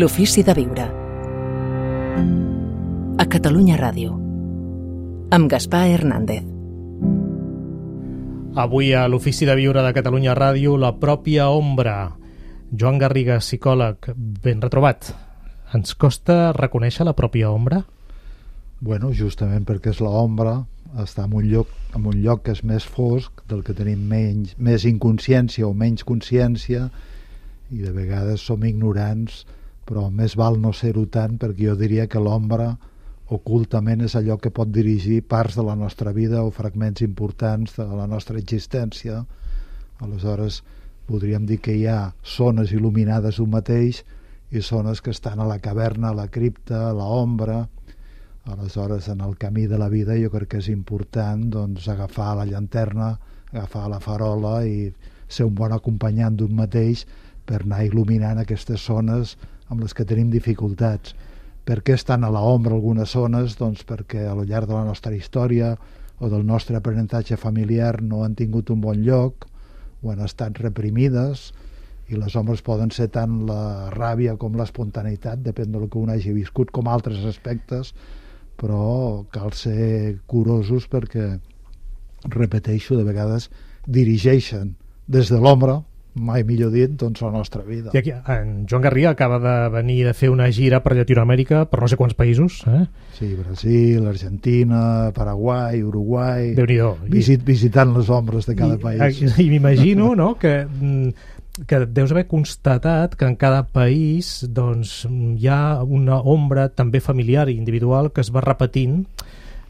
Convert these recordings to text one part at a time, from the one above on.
L'ofici de viure. A Catalunya Ràdio. Amb Gaspar Hernández. Avui a l'Ofici de Viure de Catalunya Ràdio, la pròpia ombra. Joan Garriga, psicòleg, ben retrobat. Ens costa reconèixer la pròpia ombra? Bueno, justament perquè és l'ombra, està en un lloc que és més fosc, del que tenim més inconsciència o menys consciència, i de vegades som ignorants, però més val no ser-ho tant, perquè jo diria que l'ombra ocultament és allò que pot dirigir parts de la nostra vida o fragments importants de la nostra existència. Aleshores podríem dir que hi ha zones il·luminades d'un mateix i zones que estan a la caverna, a la cripta, a l'ombra. Aleshores, en el camí de la vida jo crec que és important doncs, agafar la llanterna, agafar la farola i ser un bon acompanyant d'un mateix per anar il·luminant aquestes zones amb les que tenim dificultats. Per què estan a l'ombra algunes zones? Doncs perquè al llarg de la nostra història o del nostre aprenentatge familiar no han tingut un bon lloc o han estat reprimides, i les ombres poden ser tant la ràbia com l'espontaneïtat, depèn del que un hagi viscut, com altres aspectes, però cal ser curosos perquè, repeteixo, de vegades dirigeixen des de l'ombra, mai millor dit, doncs la nostra vida. I aquí, en Joan Garriga acaba de venir de fer una gira per Llatinoamèrica, per no sé quants països. Sí, Brasil, Argentina, Paraguai, Uruguai, Déu-n'hi-do. Visitant les ombres de cada país. I m'imagino, no?, que deus haver constatat que en cada país doncs, hi ha una ombra també familiar i individual que es va repetint,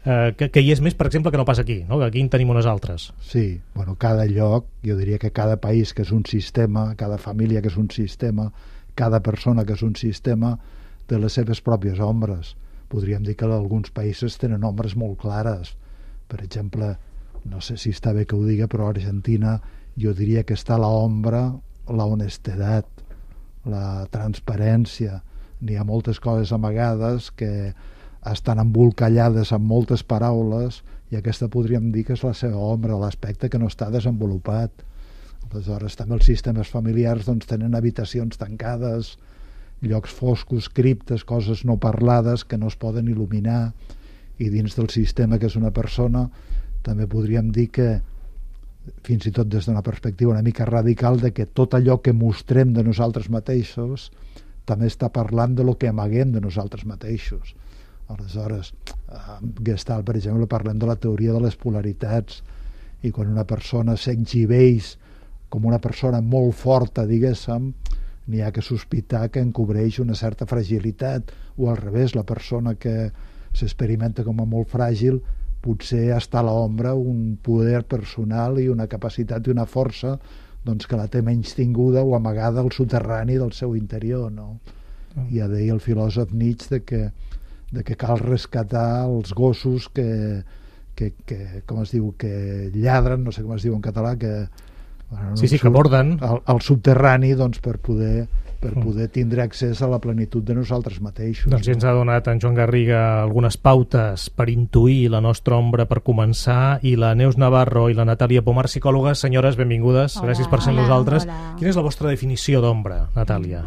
que hi és més, per exemple, que no pas aquí, no? Que aquí en tenim unes altres. Sí, bueno, cada lloc, jo diria que cada país que és un sistema, cada família que és un sistema, cada persona que és un sistema, té les seves pròpies ombres. Podríem dir que alguns països tenen ombres molt clares. Per exemple, no sé si està bé que ho diga, però a Argentina jo diria que està l'ombra, la honestedat, la transparència. N'hi ha moltes coses amagades que estan embolcallades amb moltes paraules, i aquesta podríem dir que és la seva ombra, l'aspecte que no està desenvolupat. Aleshores també els sistemes familiars doncs, tenen habitacions tancades, llocs foscos, criptes, coses no parlades que no es poden il·luminar, i dins del sistema que és una persona també podríem dir que, fins i tot des d'una perspectiva una mica radical, de que tot allò que mostrem de nosaltres mateixos també està parlant de lo que amaguem de nosaltres mateixos. Aleshores, Gestalt, per exemple, parlem de la teoria de les polaritats, i quan una persona s'exhibeix com una persona molt forta, diguéssim, n'hi ha que sospitar que encobreix una certa fragilitat, o al revés, la persona que s'experimenta com a molt fràgil potser està a l'ombra un poder personal i una capacitat i una força doncs, que la té menys tinguda o amagada al soterrani del seu interior, no? Ja deia el filòsof Nietzsche de que cal rescatar els gossos que com es diu, que lladren, no sé com es diu en català, que bueno, sí, que borden al subterrani, doncs, per poder tindre accés a la plenitud de nosaltres mateixos. Doncs ja ens ha donat en Joan Garriga algunes pautes per intuir la nostra ombra per començar, i la Neus Navarro i la Natàlia Pomar, psicòlogues. Senyores, benvingudes. Hola. Gràcies per ser amb nosaltres. Hola. Quina és la vostra definició d'ombra, Natàlia?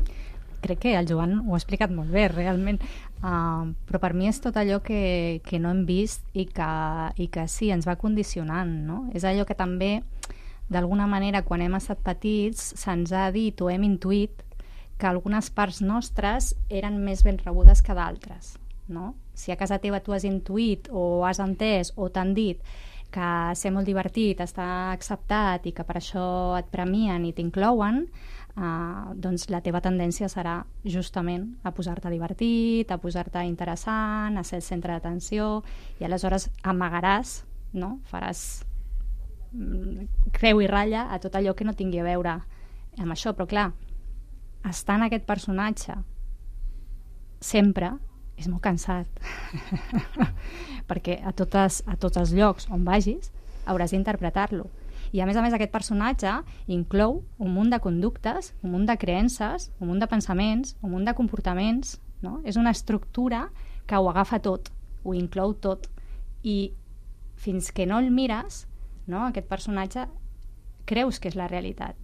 Crec que el Joan ho ha explicat molt bé, realment, però per mi és tot allò que no hem vist i que sí, ens va condicionant, no? És allò que també, d'alguna manera, quan hem estat petits, se'ns ha dit o hem intuït que algunes parts nostres eren més ben rebudes que d'altres, no? Si a casa teva tu has intuït o has entès o t'han dit que ser molt divertit està acceptat i que per això et premien i t'inclouen, doncs la teva tendència serà justament a posar-te divertit, a posar-te interessant, a ser el centre d'atenció, i aleshores amagaràs, no? Faràs creu i ratlla a tot allò que no tingui a veure amb això. Però clar, estar en aquest personatge sempre és molt cansat perquè a tots els llocs on vagis hauràs d'interpretar-lo. I a més aquest personatge inclou un munt de conductes, un munt de creences, un munt de pensaments, un munt de comportaments, no? És una estructura que ho agafa tot, ho inclou tot, i fins que no el mires, no? Aquest personatge creus que és la realitat.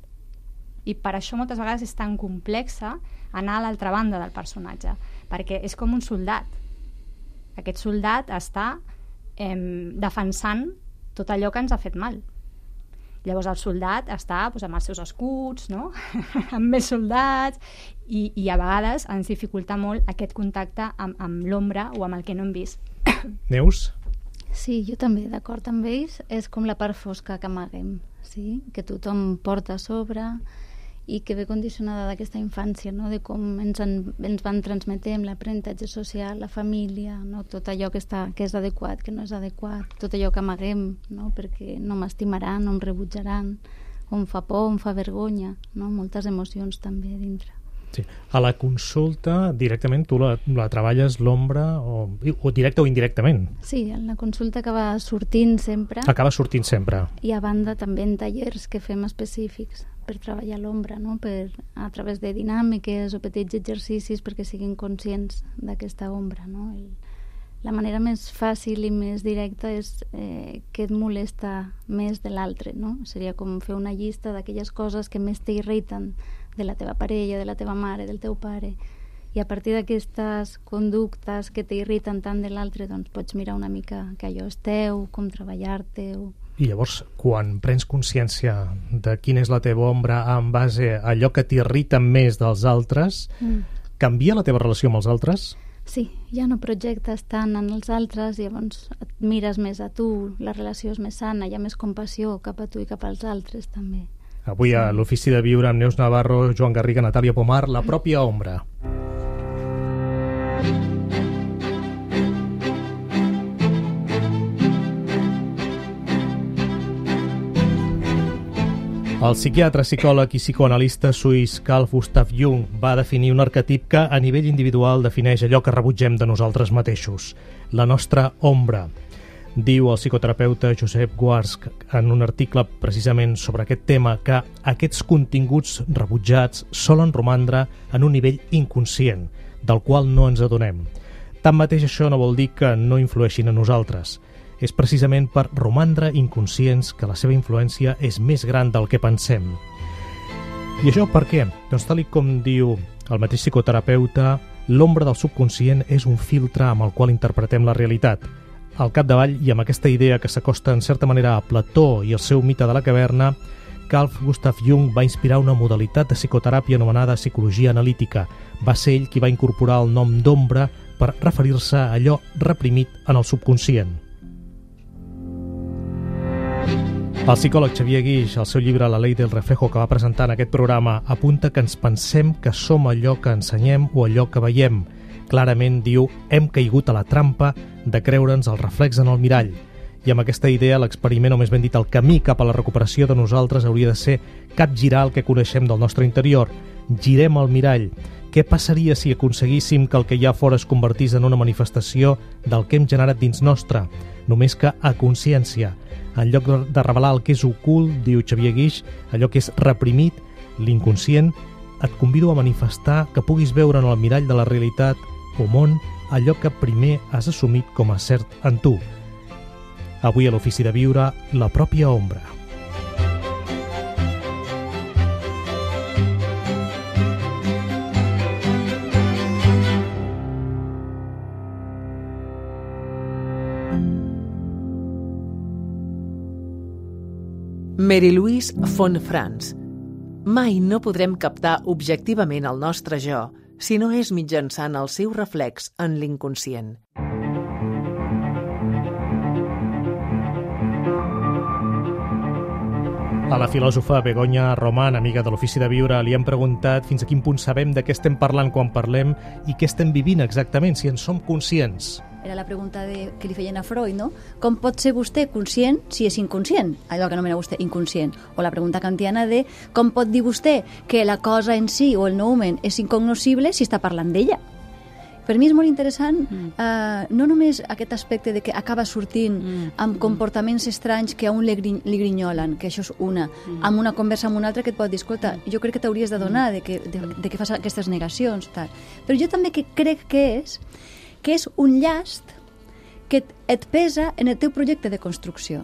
I per això moltes vegades és tan complexa anar a l'altra banda del personatge, perquè és com un soldat. Aquest soldat està defensant tot allò que ens ha fet mal. Llavors el soldat està doncs, amb els seus escuts, no? amb més soldats, i a vegades ens dificulta molt aquest contacte amb l'ombra o amb el que no hem vist. Neus? Sí, jo també, d'acord amb ells, és com la part fosca que amaguem, sí? Que tothom porta a sobre i que ve condicionada d'aquesta infància, no? De com ens van transmetent l'aprenentatge social, la família, no? Tot allò que és adequat, que no és adequat, tot allò que amaguem, no? Perquè no m'estimaran, no em rebutjaran, o em fa por, em fa vergonya, no? Moltes emocions també dintre. Sí. A la consulta, directament, tu la treballes l'ombra o directe o indirectament? Sí, en la consulta acaba sortint sempre. Acaba sortint sempre. I a banda també en tallers que fem específics per treballar l'ombra, no? A través de dinàmiques o petits exercicis perquè siguin conscients d'aquesta ombra, no? La manera més fàcil i més directa és què et molesta més de l'altre, no? Seria com fer una llista d'aquelles coses que més t'irriten de la teva parella, de la teva mare, del teu pare, i a partir d'aquestes conductes que t'irriten tant de l'altre, doncs pots mirar una mica que allò és teu, com treballar-te-ho. I llavors, quan prens consciència de quina és la teva ombra en base a allò que t'irrita més dels altres, canvia la teva relació amb els altres? Sí, ja no projectes tant en els altres, llavors et mires més a tu, la relació és més sana, hi ha més compassió cap a tu i cap als altres també. Avui a l'Ofici de Viure amb Neus Navarro, Joan Garriga, Natàlia Pomar, la pròpia ombra. El psiquiatre, psicòleg i psicoanalista suís Carl Gustav Jung va definir un arquetip que a nivell individual defineix allò que rebutgem de nosaltres mateixos, la nostra ombra. Diu el psicoterapeuta Josep Guarsc en un article precisament sobre aquest tema que aquests continguts rebutjats solen romandre en un nivell inconscient, del qual no ens adonem. Tanmateix, això no vol dir que no influeixin a nosaltres. És precisament per romandre inconscients que la seva influència és més gran del que pensem. I això per què? Doncs tal com diu el mateix psicoterapeuta, l'ombra del subconscient és un filtre amb el qual interpretem la realitat. Al capdavall, i amb aquesta idea que s'acosta en certa manera a Plató i el seu mite de la caverna, Carl Gustav Jung va inspirar una modalitat de psicoteràpia anomenada psicologia analítica. Va ser ell qui va incorporar el nom d'ombra per referir-se a allò reprimit en el subconscient. El psicòleg Xavier Guix, al seu llibre La ley del reflejo, que va presentar en aquest programa, apunta que ens pensem que som allò que ensenyem o allò que veiem. Clarament, diu, hem caigut a la trampa de creure'ns el reflex en el mirall. I amb aquesta idea, l'experiment, o més ben dit, el camí cap a la recuperació de nosaltres hauria de ser capgirar el que coneixem del nostre interior. Girem el mirall. Què passaria si aconseguíssim que el que hi ha fora es convertís en una manifestació del que hem generat dins nostre? Només que a consciència. En lloc de revelar el que és ocult, diu Xavier Guix, allò que és reprimit, l'inconscient, et convido a manifestar que puguis veure en el mirall de la realitat o món allò que primer has assumit com a cert en tu. Avui a l'Ofici de Viure, la pròpia ombra. Mary Louise von Franz. Mai no podrem captar objectivament el nostre jo si no és mitjançant el seu reflex en l'inconscient. A la filòsofa Begoña Román, amiga de l'Ofici de Viure, li hem preguntat fins a quin punt sabem de què estem parlant quan parlem i què estem vivint exactament, si en som conscients. Era la pregunta que li feien a Freud, no? Com pot ser vostè conscient si és inconscient? Allò que anomena vostè inconscient. O la pregunta kantiana de com pot dir vostè que la cosa en si o el noumen és incognoscible si està parlant d'ella? Per mi és molt interessant no només aquest aspecte de que acaba sortint amb comportaments estranys que a un li grinyolen, que això és una, amb una conversa amb una altra que et pot dir, escolta, jo crec que t'hauries d'adonar de que fas aquestes negacions, tal. Però jo també crec que és un llast que et pesa en el teu projecte de construcció.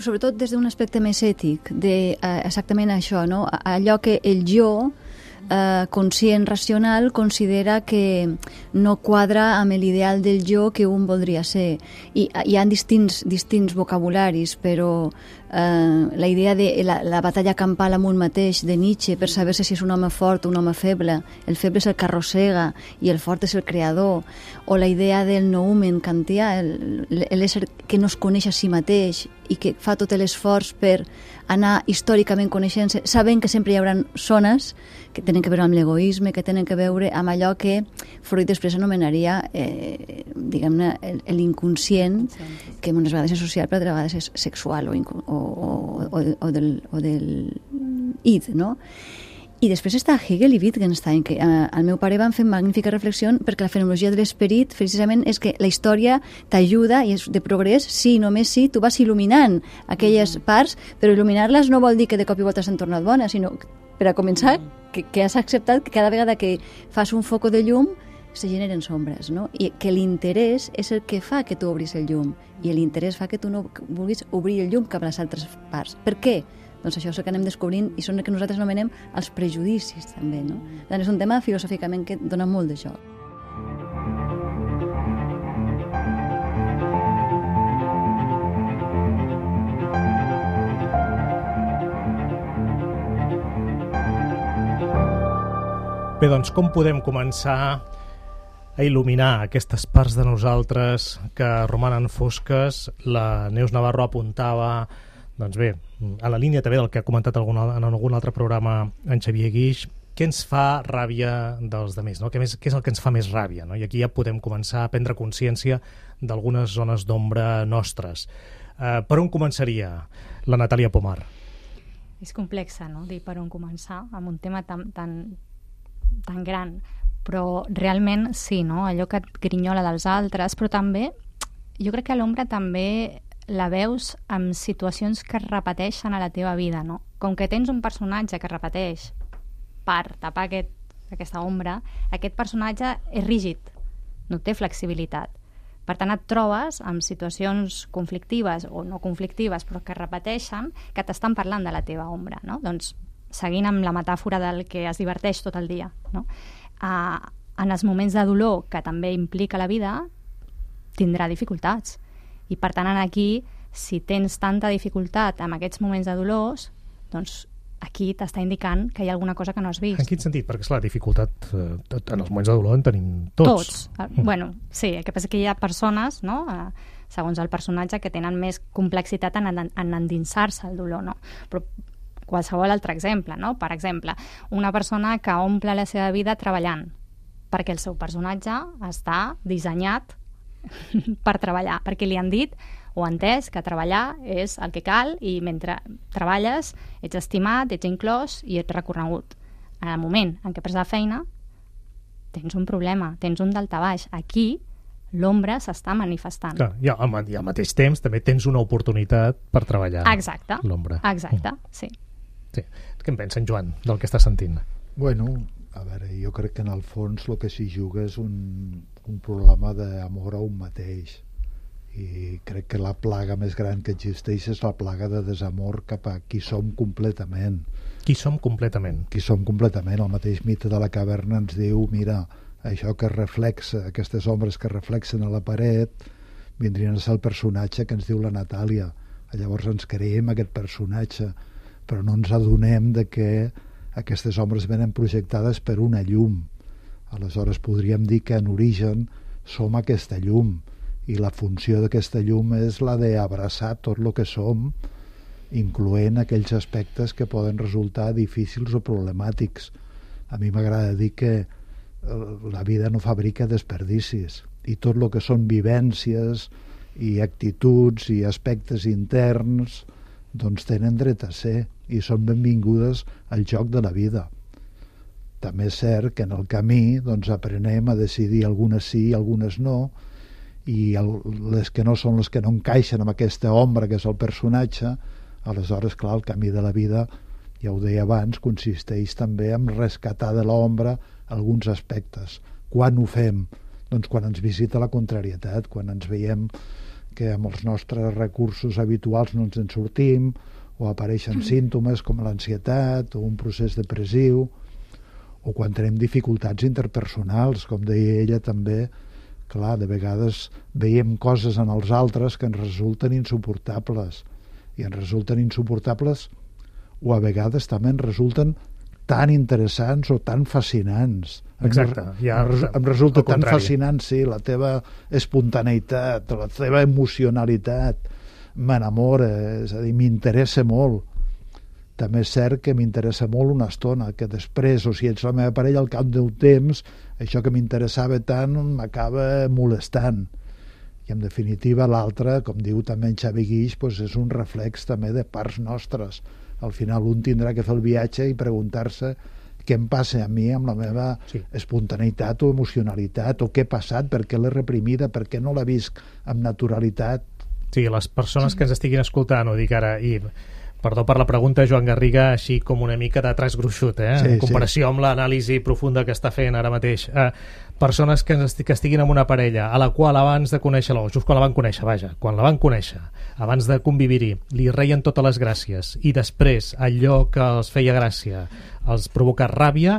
Sobretot des d'un aspecte més ètic, de exactament això, no? Allò que el jo conscient, racional, considera que no quadra amb l'ideal del jo que un voldria ser. I hi ha distints vocabularis, però la idea de la batalla campal amb un mateix de Nietzsche per saber si és un home fort o un home feble, el feble és el que arrossega i el fort és el creador, o la idea del noumen kantià, l'ésser que no es coneix a si mateix i que fa tot l'esforç per anar històricament coneixent-se, sabent que sempre hi haurà zones que tenen que veure amb l'egoisme, que tenen que veure amb allò que Freud després anomenaria diguem-ne l'inconscient, que unes vegades és social però altres vegades és sexual o del id, no? I després està Hegel i Wittgenstein, que el meu pare van fer magnífica reflexió perquè la fenomenologia de l'esperit precisament és que la història t'ajuda i és de progrés si, només si, tu vas il·luminant aquelles parts, però il·luminar-les no vol dir que de cop i volta s'han tornat bones, sinó per a començar que has acceptat que cada vegada que fas un foco de llum se generen sombres, no? I que l'interès és el que fa que tu obris el llum i l'interès fa que tu no vulguis obrir el llum cap a les altres parts. Per què? Doncs això és el que anem descobrint i són el que nosaltres anomenem els prejudicis també, no? És un tema filosòficament que dona molt de joc. Bé, doncs com podem començar a il·luminar aquestes parts de nosaltres que romanen fosques? La Neus Navarro apuntava, doncs bé, a la línia també del que ha comentat en algun altre programa en Xavier Guix, què ens fa ràbia dels altres, no? Què és el que ens fa més ràbia, no? I aquí ja podem començar a prendre consciència d'algunes zones d'ombra nostres. Per on començaria la Natàlia Pomar? És complexa, no?, dir per on començar amb un tema tan gran, però realment sí, no?, allò que et grinyola dels altres, però també jo crec que l'ombra també la veus en situacions que es repeteixen a la teva vida, no? Com que tens un personatge que repeteix per tapar aquesta ombra, aquest personatge és rígid, no té flexibilitat. Per tant, et trobes amb situacions conflictives o no conflictives, però que repeteixen, que t'estan parlant de la teva ombra, no? Doncs, seguint amb la metàfora del que es diverteix tot el dia, no? En els moments de dolor que també implica la vida, tindrà dificultats. I per tant, aquí, si tens tanta dificultat en aquests moments de dolors, doncs aquí t'està indicant que hi ha alguna cosa que no has vist. En quin sentit? Perquè, esclar, dificultat en els moments de dolor en tenim tots. Bueno, sí, el que passa que hi ha persones, no?, segons el personatge, que tenen més complexitat en endinsar-se al dolor, no? Però qualsevol altre exemple, no? Per exemple, una persona que omple la seva vida treballant, perquè el seu personatge està dissenyat per treballar, perquè li han dit o entès que treballar és el que cal i mentre treballes ets estimat, ets inclòs i ets reconegut. En el moment en què perds la feina tens un problema, tens un daltabaix. Aquí l'ombra s'està manifestant. Clar, i al mateix temps també tens una oportunitat per treballar. Exacte. L'ombra. Exacte, sí. Què en pensa en Joan del que està sentint? Bueno, a veure, jo crec que en el fons el que s'hi juga és un problema d'amor a un mateix, i crec que la plaga més gran que existeix és la plaga de desamor cap a qui som completament. Qui som completament? Qui som completament. El mateix mite de la caverna ens diu, mira, això que reflexa, aquestes ombres que reflexen a la paret, vindrien a ser el personatge que ens diu la Natàlia. Llavors ens creiem aquest personatge, però no ens adonem de que aquestes ombres venen projectades per una llum. Aleshores podríem dir que en origen som aquesta llum, i la funció d'aquesta llum és la d'abraçar tot el que som, incloent aquells aspectes que poden resultar difícils o problemàtics. A mi m'agrada dir que la vida no fabrica desperdicis, i tot el que són vivències i actituds i aspectes interns doncs tenen dret a ser i són benvingudes al joc de la vida. També és cert que en el camí doncs aprenem a decidir algunes sí i algunes no, i les que no són les que no encaixen amb aquesta ombra que és el personatge. Aleshores, clar, el camí de la vida, ja ho deia abans, consisteix també en rescatar de l'ombra alguns aspectes. Quan ho fem? Doncs quan ens visita la contrarietat, quan ens veiem que amb els nostres recursos habituals no ens en sortim, o apareixen símptomes com l'ansietat o un procés depressiu, o quan tenim dificultats interpersonals, com deia ella també. Clar, de vegades veiem coses en els altres que ens resulten insuportables, i ens resulten insuportables o a vegades també ens resulten tan interessants o tan fascinants. Exacte. Em resulta tan fascinant, sí, la teva espontaneïtat, la teva emocionalitat, m'enamora, és a dir, m'interessa molt. També és cert que m'interessa molt una estona, que després, o si ets la meva parella, al cap d'un temps, això que m'interessava tant m'acaba molestant. I en definitiva l'altre, com diu també en Xavi Guix, doncs és un reflex també de parts nostres. Al final un tindrà que fer el viatge i preguntar-se què em passa a mi amb la meva espontaneïtat o emocionalitat, o què ha passat, per què l'he reprimida, per què no la visc amb naturalitat. Sí, les persones que ens estiguin escoltant, ho dic ara, i perdó per la pregunta, Joan Garriga, així com una mica de traç gruixut, en comparació amb l'anàlisi profunda que està fent ara mateix. Persones que estiguin amb una parella a la qual abans de conèixer-la, o just quan la van conèixer, quan la van conèixer, abans de convivir-hi, li reien totes les gràcies, i després allò que els feia gràcia els provoca ràbia,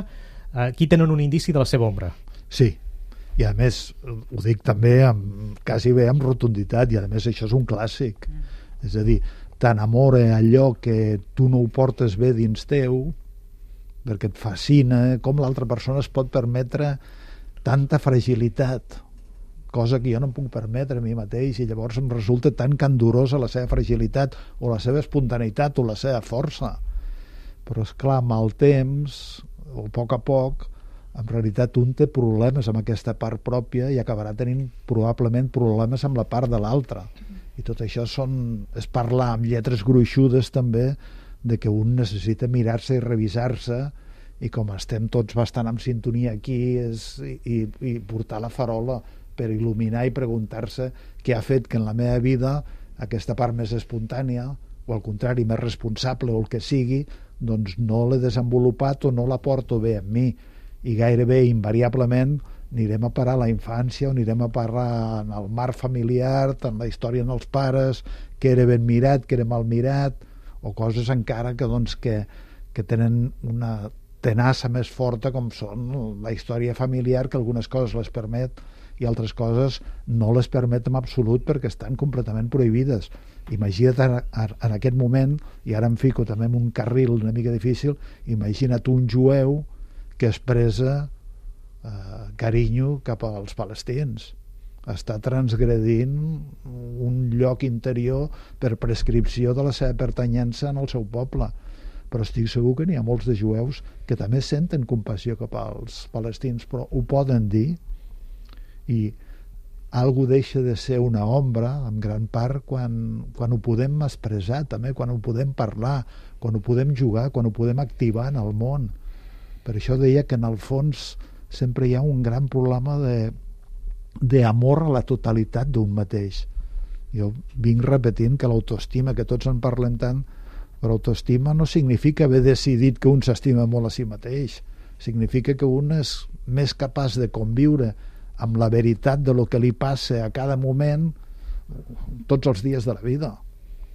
aquí tenen un indici de la seva ombra. Sí, i a més ho dic també quasi bé amb rotunditat, i a més això és un clàssic. És a dir, t'enamora allò que tu no ho portes bé dins teu, perquè et fascina com l'altra persona es pot permetre tanta fragilitat, cosa que jo no em puc permetre a mi mateix, i llavors em resulta tan candorosa la seva fragilitat o la seva espontaneïtat o la seva força. Però és clar, amb el temps o a poc, en realitat un té problemes amb aquesta part pròpia i acabarà tenint probablement problemes amb la part de l'altre. I tot això és parlar amb lletres gruixudes també de que un necessita mirar-se i revisar-se, i com estem tots bastant en sintonia aquí i portar la farola per il·luminar i preguntar-se què ha fet que en la meva vida aquesta part més espontània o al contrari més responsable o el que sigui, doncs no l'he desenvolupat o no la porto bé amb mi, i gairebé invariablement anirem a parar a la infància o anirem a parar en el mar familiar, en la història dels pares, que era ben mirat, que era mal mirat, o coses encara que tenen una tenassa més forta, com són la història familiar, que algunes coses les permet i altres coses no les permet en absolut perquè estan completament prohibides. Imagina't en aquest moment, i ara em fico també en un carril una mica difícil, imagina't un jueu que expressa carinyo cap als palestins. Està transgredint un lloc interior per prescripció de la seva pertanyença en el seu poble. Però estic segur que n'hi ha molts de jueus que també senten compassió cap als palestins, però ho poden dir, i algú deixa de ser una ombra en gran part quan ho podem expressar també, quan ho podem parlar, quan ho podem jugar, quan ho podem activar en el món. Per això deia que en el fons sempre hi ha un gran problema d'amor a la totalitat d'un mateix. Jo vinc repetint que l'autoestima, que tots en parlem tant, però autoestima no significa haver decidit que un s'estima molt a si mateix, significa que un és més capaç de conviure amb la veritat de lo que li passa a cada moment tots els dies de la vida,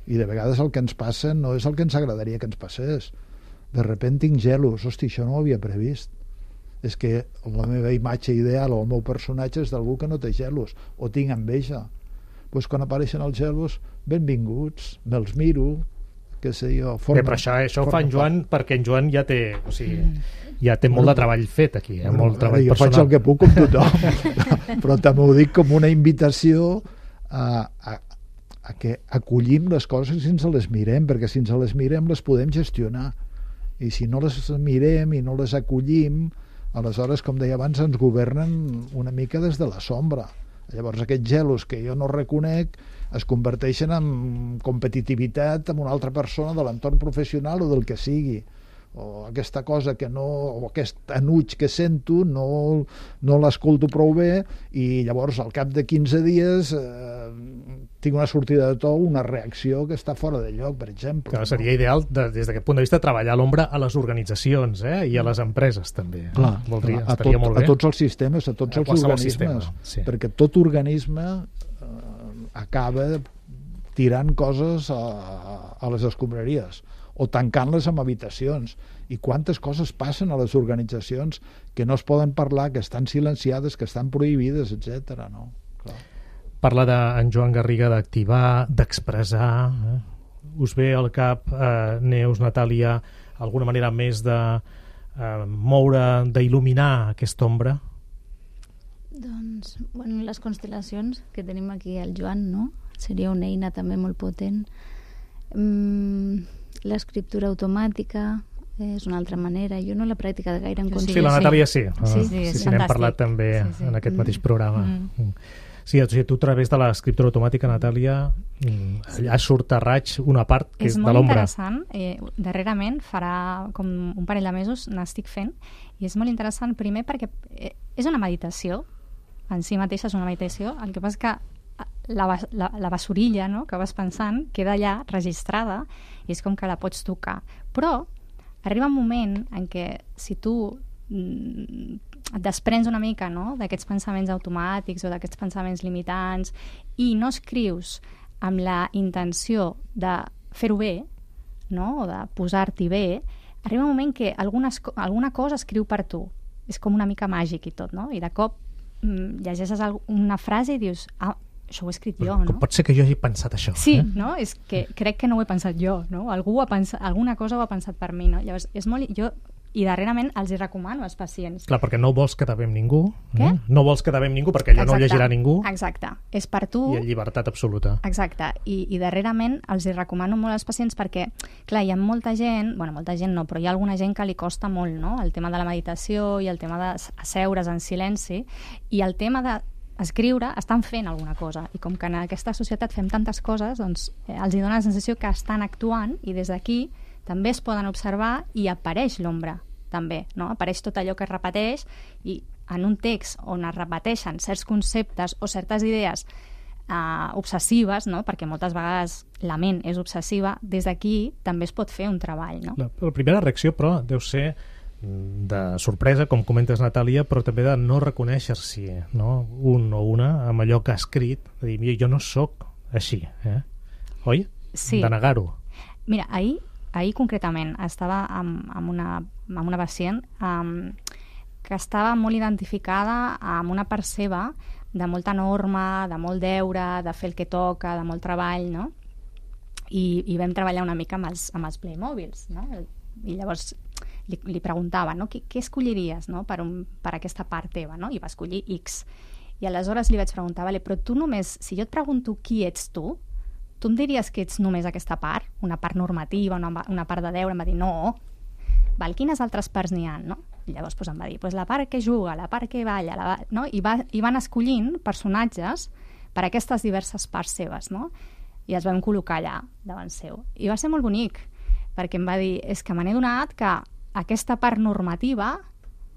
i de vegades el que ens passa no és el que ens agradaria que ens passés. De repent tinc gelos, hosti, això no ho havia previst, és que la meva imatge ideal o el meu personatge és d'algú que no té gelos, o tinc enveja. Doncs quan apareixen els gelos, benvinguts, me'ls miro, què sé jo... Però això ho fa en Joan, perquè en Joan ja té, o sigui, ja té molt de treball fet aquí, molt treball jo personal. faig el que puc com tothom, però també ho dic com una invitació a que acollim les coses si ens les mirem, perquè si ens les mirem les podem gestionar, i si no les mirem i no les acollim, aleshores, com deia abans, ens governen una mica des de la sombra. Llavors aquests gelos que jo no reconec es converteixen en competitivitat amb una altra persona de l'entorn professional o del que sigui, o aquesta cosa que no, o aquest enuig que sento no l'escolto prou bé, i llavors al cap de 15 dies tinc una sortida de to, una reacció que està fora de lloc, per exemple. Clar, seria ideal des d'aquest punt de vista treballar a l'ombra a les organitzacions i a les empreses també. Clar, estaria molt bé. A tots els sistemes, a tots els organismes, perquè tot organisme acaba tirant coses a les escombraries, o tancant-les en habitacions. I quantes coses passen a les organitzacions que no es poden parlar, que estan silenciades, que estan prohibides, etc. No? Clar. Parla d'en Joan Garriga d'activar, d'expressar. Us ve al cap, Neus, Natàlia, alguna manera més de moure, d'il·luminar aquesta ombra? Doncs, bueno, les constel·lacions que tenim aquí al Joan, no? Seria una eina també molt potent. L'escriptura automàtica és una altra manera. Jo no la pràctica de gaire en consciència. Sí, la Natàlia sí. Sí, n'hem parlat també en aquest mateix programa. Sí, o sigui, tu a través de l'escriptura automàtica, Natàlia, allà surt a raig una part que és de l'ombra. És molt interessant. Darrerament, farà com un parell de mesos, n'estic fent, i és molt interessant, primer perquè és una meditació, en si mateixa és una meditació, el que passa és que la basurilla, no?, que vas pensant queda allà registrada i és com que la pots tocar. Però arriba un moment en què si tu et desprens una mica, no?, d'aquests pensaments automàtics o d'aquests pensaments limitants i no escrius amb la intenció de fer-ho bé, no?, o de posar-t'hi bé, arriba un moment que alguna cosa escriu per tu. És com una mica màgic i tot, no? I de cop llegeixes una frase i dius, això ho he escrit jo, no? Com pot ser que jo hagi pensat això? Sí, no? És que crec que no ho he pensat jo, no? Algú alguna cosa ho ha pensat per mi, no? Llavors, i darrerament els hi recomano als pacients. Clar, perquè no vols quedar bé amb ningú. Què? No vols quedar bé amb ningú perquè allò no ho llegirà ningú. Exacte. És per tu. I en llibertat absoluta. Exacte. I darrerament els hi recomano molt als pacients perquè, clar, hi ha molta gent no, però hi ha alguna gent que li costa molt, no?, el tema de la meditació i el tema d'asseure's en silenci i el tema d'escriure, estan fent alguna cosa. I com que en aquesta societat fem tantes coses, doncs els hi dona la sensació que estan actuant i des d'aquí també es poden observar i apareix l'ombra, també, no? Apareix tot allò que es repeteix i en un text on es repeteixen certs conceptes o certes idees obsessives, no?, perquè moltes vegades la ment és obsessiva, des d'aquí també es pot fer un treball, no? La primera reacció, però, deu ser de sorpresa, com comentes, Natàlia, però també de no reconèixer-s'hi, no?, un o una amb allò que ha escrit, de dir, jo no sóc així, oi? Sí. De negar-ho. Mira, ahir concretament estava amb una pacient que estava molt identificada amb una part seva de molta norma, de molt deure, de fer el que toca, de molt treball, no? I vam treballar una mica amb els Playmobils, no? I llavors li preguntava, no?, què escolliries, no?, per aquesta part teva, no? I va escollir X. I aleshores li vaig preguntar, vale, però tu només, si jo et pregunto qui ets tu em diries que ets només aquesta part? Una part normativa, una part de deure? Em va dir, no. Val, quines altres parts n'hi ha, no? I llavors em va dir, la part que juga, la part que balla, no? I van escollint personatges per aquestes diverses parts seves, no? I els vam col·locar allà davant seu. I va ser molt bonic, perquè em va dir, és que me n'he donat que aquesta part normativa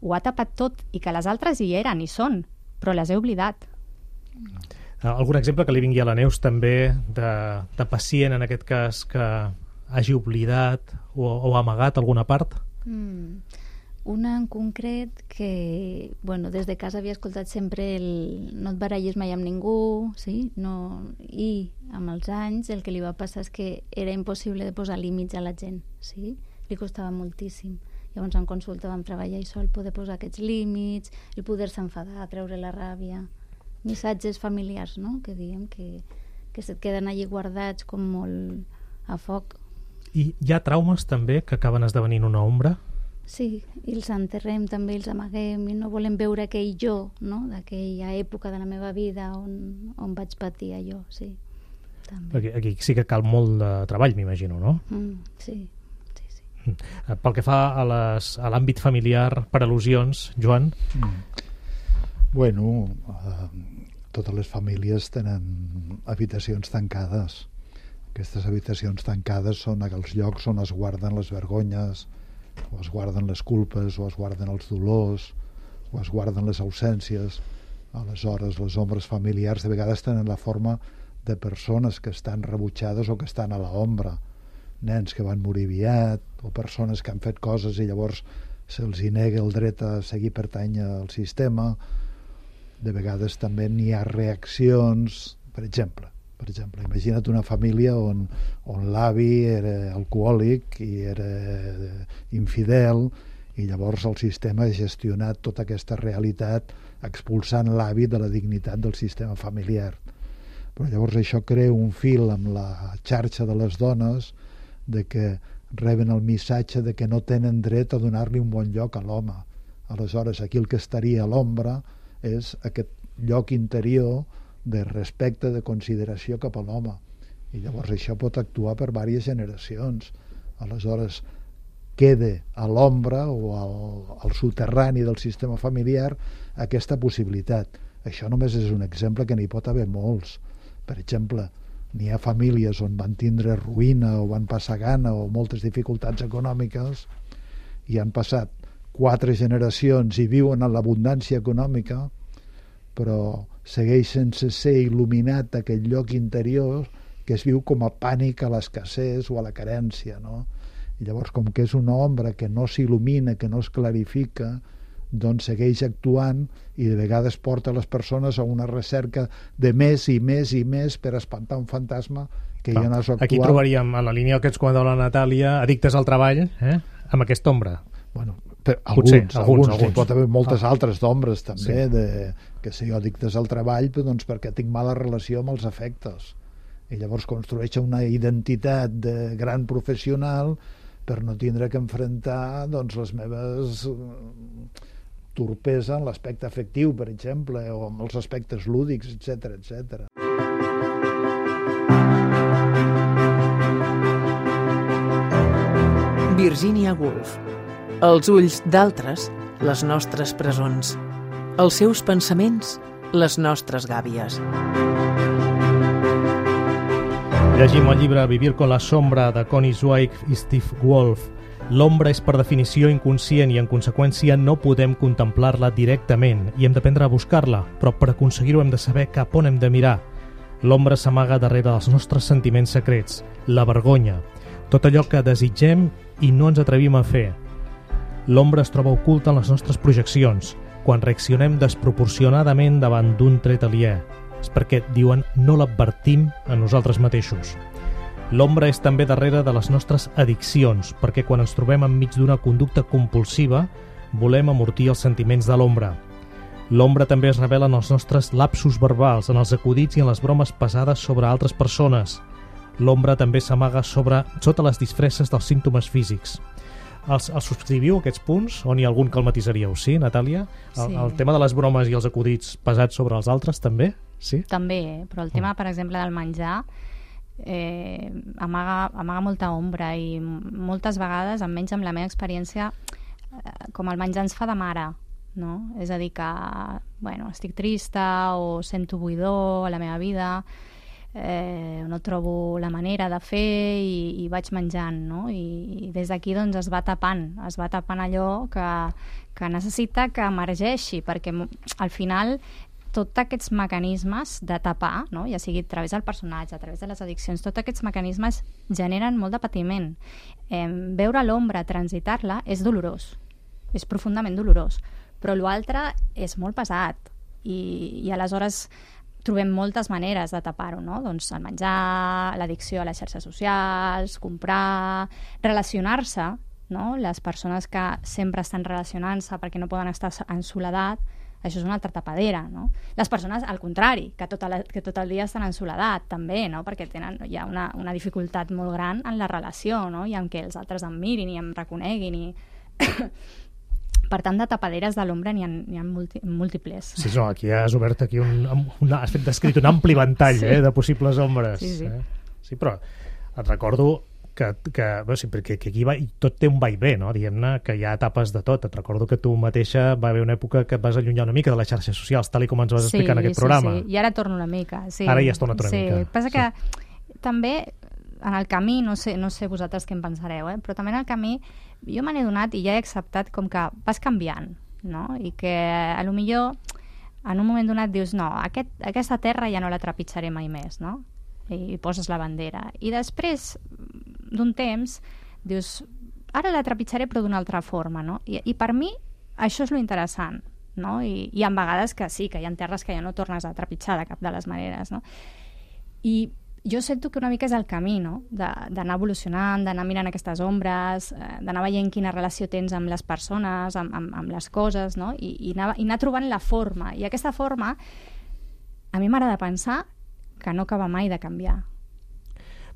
ho ha tapat tot i que les altres hi eren, hi són, però les he oblidat. Algun exemple que li vingui a la Neus també de pacient, en aquest cas, que hagi oblidat o amagat alguna part? Una en concret que, bueno, des de casa havia escoltat sempre no et barallis mai amb ningú, sí? No, i amb els anys el que li va passar és que era impossible de posar límits a la gent, sí? Li costava moltíssim. Llavors en consulta vam treballar això, el poder posar aquests límits, el poder-se enfadar, treure la ràbia, missatges familiars, no?, que diem que se't queden allí guardats com molt a foc. I hi ha traumes també que acaben esdevenint una ombra? Sí, i els enterrem també, els amaguem i no volem veure aquell jo, no?, d'aquella època de la meva vida on vaig patir allò, sí. També. Aquí sí que cal molt de treball, m'imagino, no? Sí. Pel que fa a l'àmbit familiar, per al·lusions, Joan? Bueno, totes les famílies tenen habitacions tancades. Aquestes habitacions tancades són aquells llocs on es guarden les vergonyes, o es guarden les culpes, o es guarden els dolors, o es guarden les ausències. Aleshores, les ombres familiars de vegades tenen la forma de persones que estan rebutjades o que estan a l'ombra. Nens que van morir aviat, o persones que han fet coses i llavors se'ls hi nega el dret a seguir pertany al sistema. De vegades també n'hi ha reaccions, per exemple, per exemple. Imagina't una família on l'avi era alcohòlic i era infidel, i llavors el sistema ha gestionat tota aquesta realitat expulsant l'avi de la dignitat del sistema familiar. Però llavors això crea un fil amb la xarxa de les dones de que reben el missatge de que no tenen dret a donar-li un bon lloc a l'home. Aleshores, aquí el que estaria a l'ombra és aquest lloc interior de respecte, de consideració cap a l'home. I llavors això pot actuar per diverses generacions. Aleshores, queda a l'ombra o al soterrani del sistema familiar aquesta possibilitat. Això només és un exemple, que n'hi pot haver molts. Per exemple, n'hi ha famílies on van tindre ruïna o van passar gana o moltes dificultats econòmiques i han passat 4 generacions i viuen en l'abundància econòmica, però segueix sense ser il·luminat aquest lloc interior que es viu com a pànic a l'escassez o a la carència, no? I llavors, com que és una ombra que no s'il·lumina, que no es clarifica, doncs segueix actuant i de vegades porta les persones a una recerca de més i més i més per espantar un fantasma que ja no és actual. Aquí trobaríem, a la línia que ens comenta la Natàlia, addictes al treball, amb aquesta ombra. Bueno, alguns. Pot haver moltes altres d'ombres també, que sé jo, addictes al treball, però doncs perquè tinc mala relació amb els afectes. I llavors construeix una identitat de gran professional per no tindre que enfrontar doncs, les meves torpesa en l'aspecte afectiu, per exemple, o amb els aspectes lúdics, etc etc. Virginia Woolf. Els ulls d'altres, les nostres presons. Els seus pensaments, les nostres gàbies. Llegim el llibre Vivir con la sombra de Connie Zweig i Steve Wolf. L'ombra és per definició inconscient i en conseqüència no podem contemplar-la directament i hem d'aprendre a buscar-la, però per aconseguir-ho hem de saber cap on hem de mirar. L'ombra s'amaga darrere dels nostres sentiments secrets, la vergonya, tot allò que desitgem i no ens atrevim a fer. L'ombra es troba oculta en les nostres projeccions, quan reaccionem desproporcionadament davant d'un tret aliè. És perquè, diuen, no l'advertim a nosaltres mateixos. L'ombra és també darrere de les nostres addiccions, perquè quan ens trobem enmig d'una conducta compulsiva, volem amortir els sentiments de l'ombra. L'ombra també es revela en els nostres lapsus verbals, en els acudits i en les bromes pesades sobre altres persones. L'ombra també s'amaga sota les disfresses dels símptomes físics. Els subscriviu, aquests punts? O n'hi ha algun que el matisaríeu? Sí, Natàlia? Sí. El tema de les bromes i els acudits pesats sobre els altres, també? Sí? També, però el tema, per exemple, del menjar amaga molta ombra i moltes vegades, almenys amb la meva experiència, com el menjar ens fa de mare, no? És a dir que, bueno, estic trista o sento buidor a la meva vida, no trobo la manera de fer i vaig menjant, no? I des d'aquí doncs es va tapant allò que necessita que emergeixi, perquè al final tots aquests mecanismes de tapar, no? Ja sigui a través del personatge, a través de les addiccions, tots aquests mecanismes generen molt de patiment. Veure l'ombra, transitar-la, és dolorós, és profundament dolorós, però l'altre és molt pesat i aleshores trobem moltes maneres de tapar-ho, no? Doncs el menjar, l'addicció a les xarxes socials, comprar, relacionar-se, no? Les persones que sempre estan relacionant-se perquè no poden estar en soledat, això és una altra tapadera, no? Les persones, al contrari, que tot el dia estan en soledat, també, no? Perquè hi ha una dificultat molt gran en la relació, no? I en què els altres em mirin i em reconeguin i... Per tant, de tapaderes de l'ombra n'hi ha múltiples. Sí, no, aquí has obert has descrit un ampli ventall de possibles ombres. Sí. Sí, però et recordo que aquí tot té un vaivé, no? Diguem-ne que hi ha etapes de tot. Et recordo que tu mateixa va haver una època que et vas allunyar una mica de les xarxes socials, tal com ens vas explicar en aquest programa. Sí, i ara torno una mica. Sí. Ara ja has tornat una mica. Sí, passa que també en el camí, no sé vosaltres què en pensareu, però també en el camí jo me n'he donat i ja he acceptat com que vas canviant, no? I que a lo millor en un moment donat dius no, aquesta terra ja no la trepitjaré mai més, no? I poses la bandera. I després d'un temps dius ara la trepitjaré però d'una altra forma, no? I per mi això és lo interessant, no? I hi ha vegades que sí, que hi ha terres que ja no tornes a trepitjar de cap de les maneres, no? I jo sento que una mica és el camí, no? D'anar evolucionant, d'anar mirant aquestes ombres, d'anar veient quina relació tens amb les persones, amb les coses, no? I anar trobant la forma. I aquesta forma, a mi m'agrada pensar que no acaba mai de canviar.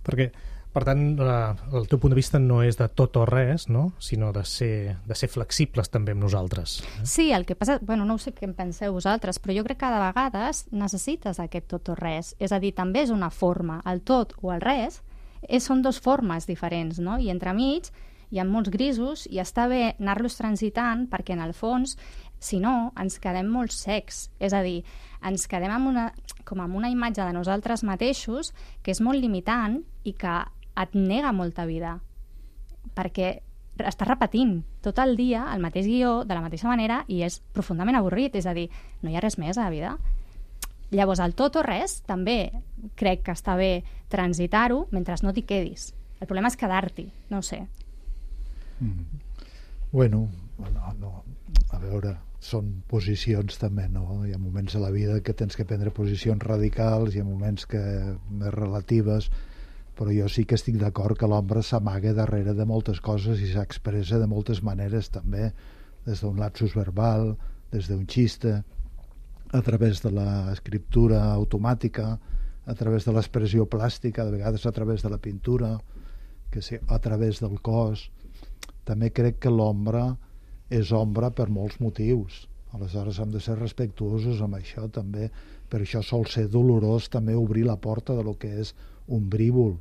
Perquè, per tant, el teu punt de vista no és de tot o res, no? Sinó de ser flexibles també amb nosaltres. Sí, el que passa... Bueno, no sé què en penseu vosaltres, però jo crec que de vegades necessites aquest tot o res. És a dir, també és una forma. El tot o el res són dos formes diferents, no? I entremig hi ha molts grisos i està bé anar-los transitant perquè, en el fons, si no, ens quedem molt secs. És a dir, ens quedem amb una imatge de nosaltres mateixos que és molt limitant i que et nega molta vida, perquè estàs repetint tot el dia el mateix guió de la mateixa manera i és profundament avorrit, és a dir, no hi ha res més a la vida. Llavors, el tot o res també crec que està bé transitar-ho mentre no t'hi quedis. El problema és quedar-t'hi, no ho sé. Bueno, no. A veure, són posicions també, no? Hi ha moments a la vida que tens que prendre posicions radicals, hi ha moments que més relatives, però jo sí que estic d'acord que l'ombra s'amaga darrere de moltes coses i s'expressa de moltes maneres també, des d'un lapsus verbal, des d'un xiste, a través de l'escriptura automàtica, a través de l'expressió plàstica, de vegades a través de la pintura, que sí, a través del cos. També crec que l'ombra és ombra per molts motius. Aleshores hem de ser respectuosos amb això també. Per això sol ser dolorós també obrir la porta de lo que és ombrívol.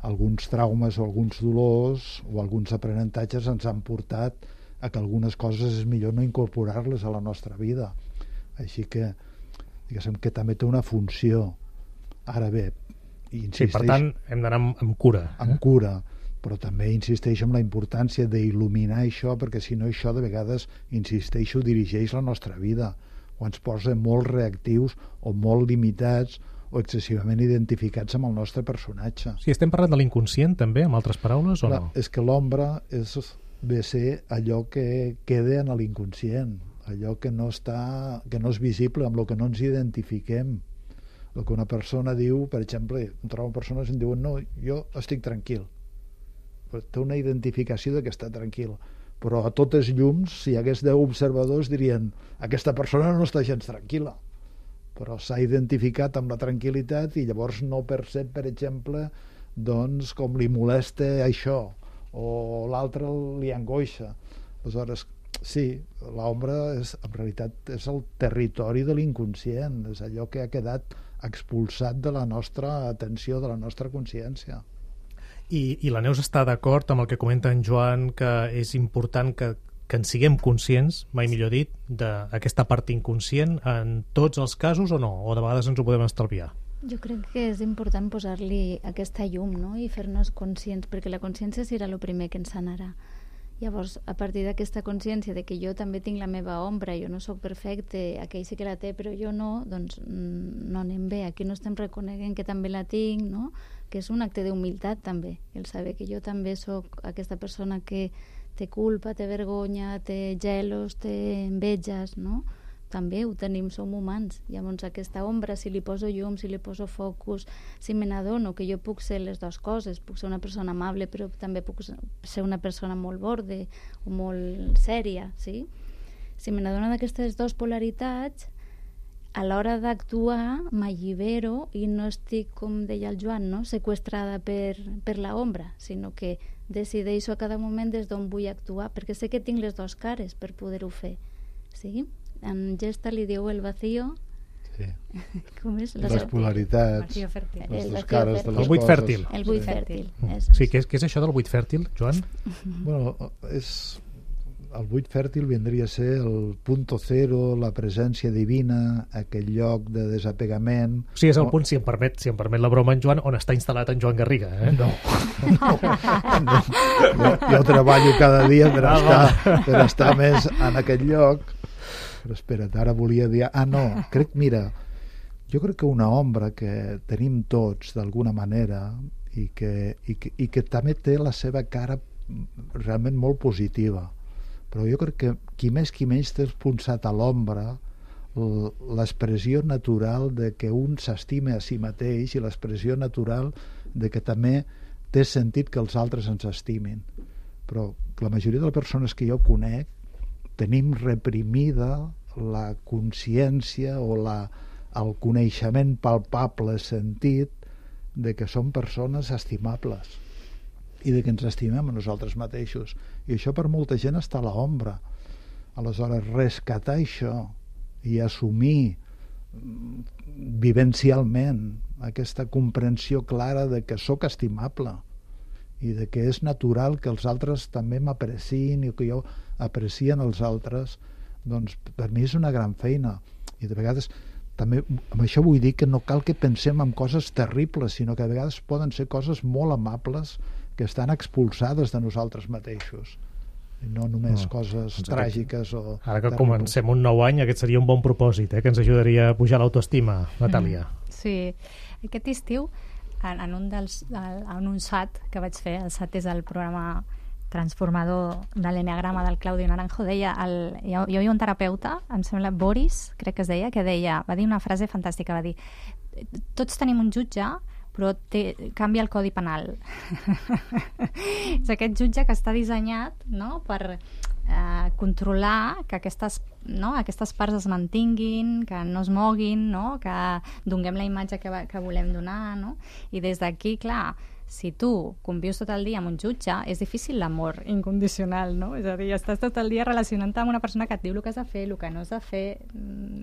Alguns traumes o alguns dolors o alguns aprenentatges ens han portat a que algunes coses és millor no incorporar-les a la nostra vida. Així que, diguéssim, que també té una funció. Ara bé, sí, per tant, hem d'anar amb cura. Amb cura, però també insisteixo en la importància d'il·luminar això, perquè si no això de vegades, insisteixo, dirigeix la nostra vida, o ens posa molt reactius o molt limitats o excessivament identificats amb el nostre personatge. Sí, estem parlant de l'inconscient també, amb altres paraules, o no? És que l'ombra ve a ser allò que queda en l'inconscient, allò que no és visible, amb el que no ens identifiquem. El que una persona diu, per exemple, trobo persones que em diuen no, jo estic tranquil. Però té una identificació de que està tranquil. Però a totes llums, si hi hagués 10 observadors, dirien aquesta persona no està gens tranquil·la. Però s'ha identificat amb la tranquil·litat i llavors no percep, per exemple, doncs, com li molesta això, o l'altre li angoixa. Aleshores, sí, l'ombra en realitat és el territori de l'inconscient, és allò que ha quedat expulsat de la nostra atenció, de la nostra consciència. I la Neus està d'acord amb el que comenta en Joan, que és important que en siguem conscients, mai millor dit, d'aquesta part inconscient en tots els casos o no? O de vegades ens ho podem estalviar? Jo crec que és important posar-li aquesta llum, no? I fer-nos conscients, perquè la consciència serà el primer que ens sanarà. Llavors, a partir d'aquesta consciència de que jo també tinc la meva ombra, jo no sóc perfecte, aquell sí que la té, però jo no, doncs no anem bé. Aquí no estem reconeguent que també la tinc, no? Que és un acte d'humilitat també, el saber que jo també sóc aquesta persona que té culpa, té vergonya, té gelos, té enveges, no? També ho tenim, som humans. Llavors aquesta ombra, si li poso llum, si li poso focus, si me n'adono que jo puc ser les dues coses, puc ser una persona amable però també puc ser una persona molt borde o molt sèria, sí? Si me n'adono d'aquestes dues polaritats, a l'hora d'actuar m'allibero i no estic, com deia el Joan, no? Seqüestrada per la ombra, sinó que decideixo a cada moment des d'on vull actuar, perquè sé que tinc les dues cares per poder-ho fer, sí? En Gesta li diu el vacío. Sí. Com és? Les polaritats. Les dues cares de les coses. El buit fèrtil. El buit fèrtil. Sí, què és això del buit fèrtil, Joan? Bueno, el buit fèrtil vindria a ser el punto cero, la presència divina, aquell lloc de desapegament. O sigui, és el punt, si em permet la broma en Joan, on està instal·lat en Joan Garriga, eh? No. Jo treballo cada dia per estar més en aquest lloc. Però espera't, ara volia dir... no, jo crec que una ombra que tenim tots d'alguna manera i que també té la seva cara realment molt positiva, però jo crec que qui més qui menys té expulsat a l'ombra l'expressió natural de que un s'estime a si mateix i l'expressió natural de que també té sentit que els altres ens estimin. Però la majoria de les persones que jo conec tenim reprimida la consciència o el coneixement palpable, sentit, de que som persones estimables i de que ens estimem a nosaltres mateixos. I això per molta gent està a l'ombra. Aleshores, rescatar això i assumir vivencialment aquesta comprensió clara de que sóc estimable i de que és natural que els altres també m'aprecien i que jo aprecien els altres, doncs per mi és una gran feina. I de vegades també amb això vull dir que no cal que pensem en coses terribles, sinó que a vegades poden ser coses molt amables que estan expulsades de nosaltres mateixos i no només coses tràgiques o ara que terribles. comencem un nou any, aquest seria un bon propòsit, que ens ajudaria a pujar l'autoestima, Natàlia. Sí, aquest estiu en un SAT que vaig fer, el SAT és el programa transformador de l'enneagrama del Claudio Naranjo, deia, hi havia un terapeuta, em sembla Boris, crec que es deia, va dir una frase fantàstica, va dir: tots tenim un jutge, però canvia el codi penal. És aquest jutge que està dissenyat, no?, per controlar que aquestes parts es mantinguin, que no es moguin, no?, que donem la imatge que volem donar, no? I des d'aquí, clar, si tu convius tot el dia amb un jutge, és difícil l'amor incondicional, no? És a dir, estàs tot el dia relacionant-te amb una persona que et diu el que has de fer, el que no has de fer.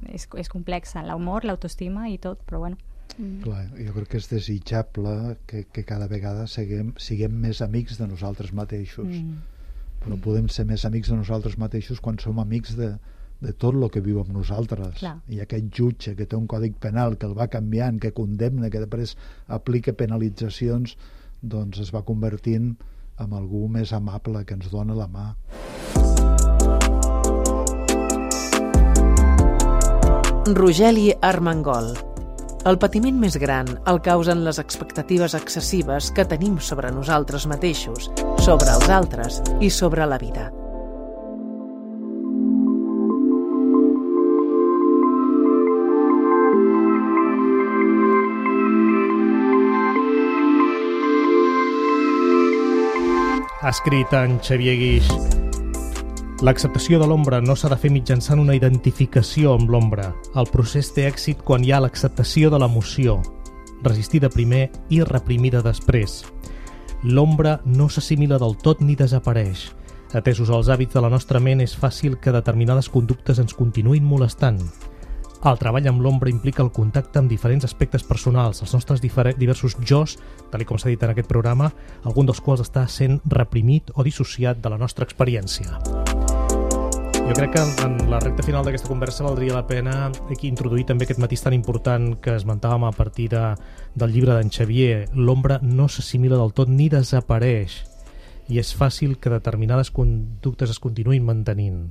És complexa, l'amor, l'autoestima i tot, però bueno. Clar, jo crec que és desitjable que cada vegada siguem més amics de nosaltres mateixos. Però podem ser més amics de nosaltres mateixos quan som amics de tot el que viu amb nosaltres. Clar. I aquest jutge que té un còdic penal que el va canviant, que condemna, que després aplica penalitzacions, doncs es va convertint en algú més amable que ens dona la mà. Rogeli Armengol. El patiment més gran el causen les expectatives excessives que tenim sobre nosaltres mateixos, sobre els altres i sobre la vida. Ha escrit en Xavier Guix: l'acceptació de l'ombra no s'ha de fer mitjançant una identificació amb l'ombra. El procés té èxit quan hi ha l'acceptació de l'emoció, resistida primer i reprimida després. L'ombra no s'assimila del tot ni desapareix. Atesos els hàbits de la nostra ment, és fàcil que determinades conductes ens continuïn molestant. El treball amb l'ombra implica el contacte amb diferents aspectes personals, els nostres diversos jos, tal com s'ha dit en aquest programa, algun dels quals està sent reprimit o dissociat de la nostra experiència. Jo crec que en la recta final d'aquesta conversa valdria la pena introduir també aquest matís tan important que esmentàvem a partir del llibre d'en Xavier. L'ombra no s'assimila del tot ni desapareix i és fàcil que determinades conductes es continuïn mantenint,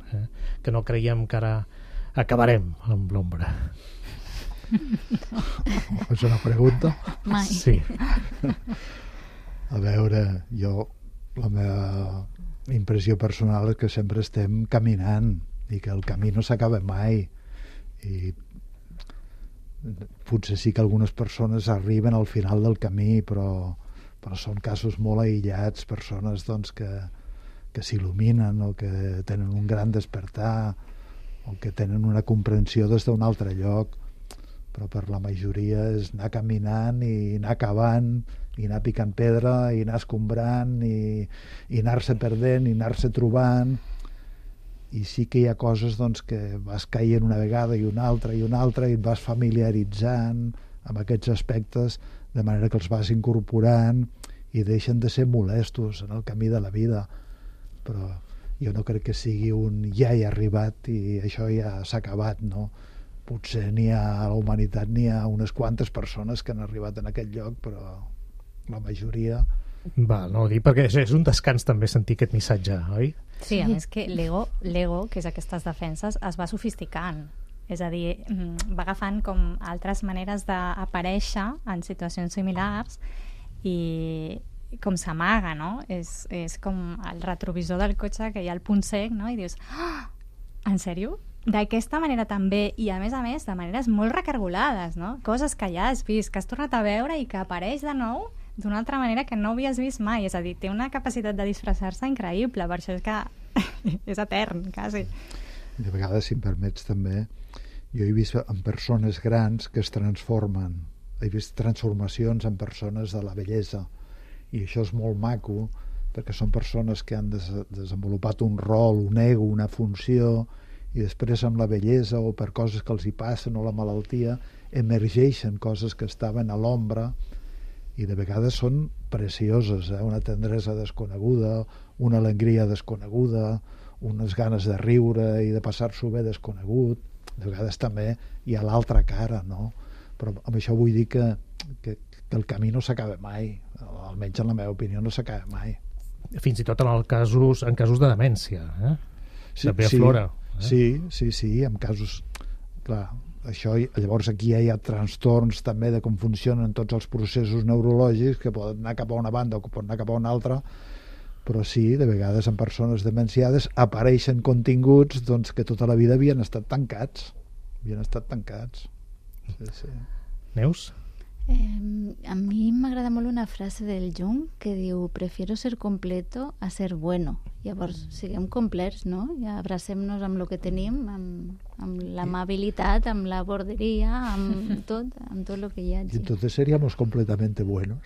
que no creiem que ara acabarem amb l'ombra. És una pregunta? Mai. Sí. A veure, la meva impressió personal és que sempre estem caminant i que el camí no s'acaba mai, i potser sí que algunes persones arriben al final del camí, però són casos molt aïllats, persones doncs, que s'il·luminen o que tenen un gran despertar o que tenen una comprensió des d'un altre lloc, però per la majoria és anar caminant i anar cavant i anar picant pedra i anar escombrant i anar-se perdent i anar-se trobant. I sí que hi ha coses doncs, que vas caient una vegada i una altra i una altra i et vas familiaritzant amb aquests aspectes de manera que els vas incorporant i deixen de ser molestos en el camí de la vida. Però jo no crec que sigui un ja he arribat i això ja s'ha acabat, no? Potser a la humanitat n'hi ha unes quantes persones que han arribat en aquest lloc, però la majoria... No ho dic perquè és un descans també sentir aquest missatge, oi? Sí, a més que l'ego, que és aquestes defenses, es va sofisticant. És a dir, va agafant com altres maneres d'aparèixer en situacions similars i com s'amaga, no? És com el retrovisor del cotxe, que hi ha el punt cec, no? I dius, en sèrio? d'aquesta manera també, i a més, de maneres molt recargolades, no? Coses que ja has vist, que has tornat a veure i que apareix de nou d'una altra manera que no havies vist mai. És a dir, té una capacitat de disfressar-se increïble, per això és que és etern, quasi. De vegades, si em permets també, jo he vist en persones grans que es transformen. He vist transformacions en persones de la bellesa, i això és molt maco, perquè són persones que han desenvolupat un rol, un ego, una funció, i després amb la bellesa o per coses que els hi passen o la malaltia emergeixen coses que estaven a l'ombra, i de vegades són precioses, una tendresa desconeguda, una alegria desconeguda, unes ganes de riure i de passar-s'ho bé desconegut. De vegades també hi ha l'altra cara, no? Però amb això vull dir que el camí no s'acaba mai, almenys en la meva opinió no s'acaba mai. Fins i tot en casos de demència, Sí, també aflora. Sí, en casos... Clar, això, llavors aquí hi ha trastorns també de com funcionen tots els processos neurològics, que poden anar cap a una banda o poden anar cap a una altra, però sí, de vegades en persones demenciades apareixen continguts doncs, que tota la vida havien estat tancats. Sí. Neus? A mi m'agrada molt una frase del Jung que diu: prefiero ser completo a ser bueno. Llavors, siguem complets, no? I abracem-nos amb el que tenim, amb l'amabilitat, amb la borderia, amb tot el que hi hagi. Y entonces seríamos completamente buenos.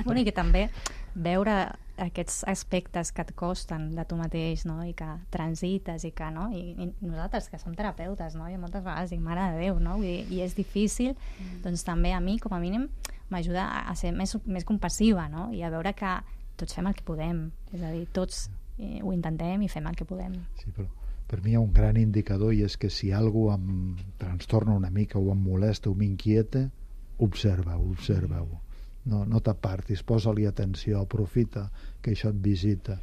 Bueno, i que també veure aquests aspectes que et costen de tu mateix, no? I que transites, i que, no? I nosaltres, que som terapeutes, no? I moltes vegades dic, mare de Déu, no? Vull dir, i és difícil, doncs també a mi, com a mínim, m'ajuda a ser més compassiva, no? I a veure que tots fem el que podem, és a dir, tots ho intentem i fem el que podem. Sí, però per mi hi ha un gran indicador, i és que si algú em trastorna una mica o em molesta o m'inquieta, observa-ho. No t'apartis, posa-li atenció, aprofita que això et visita,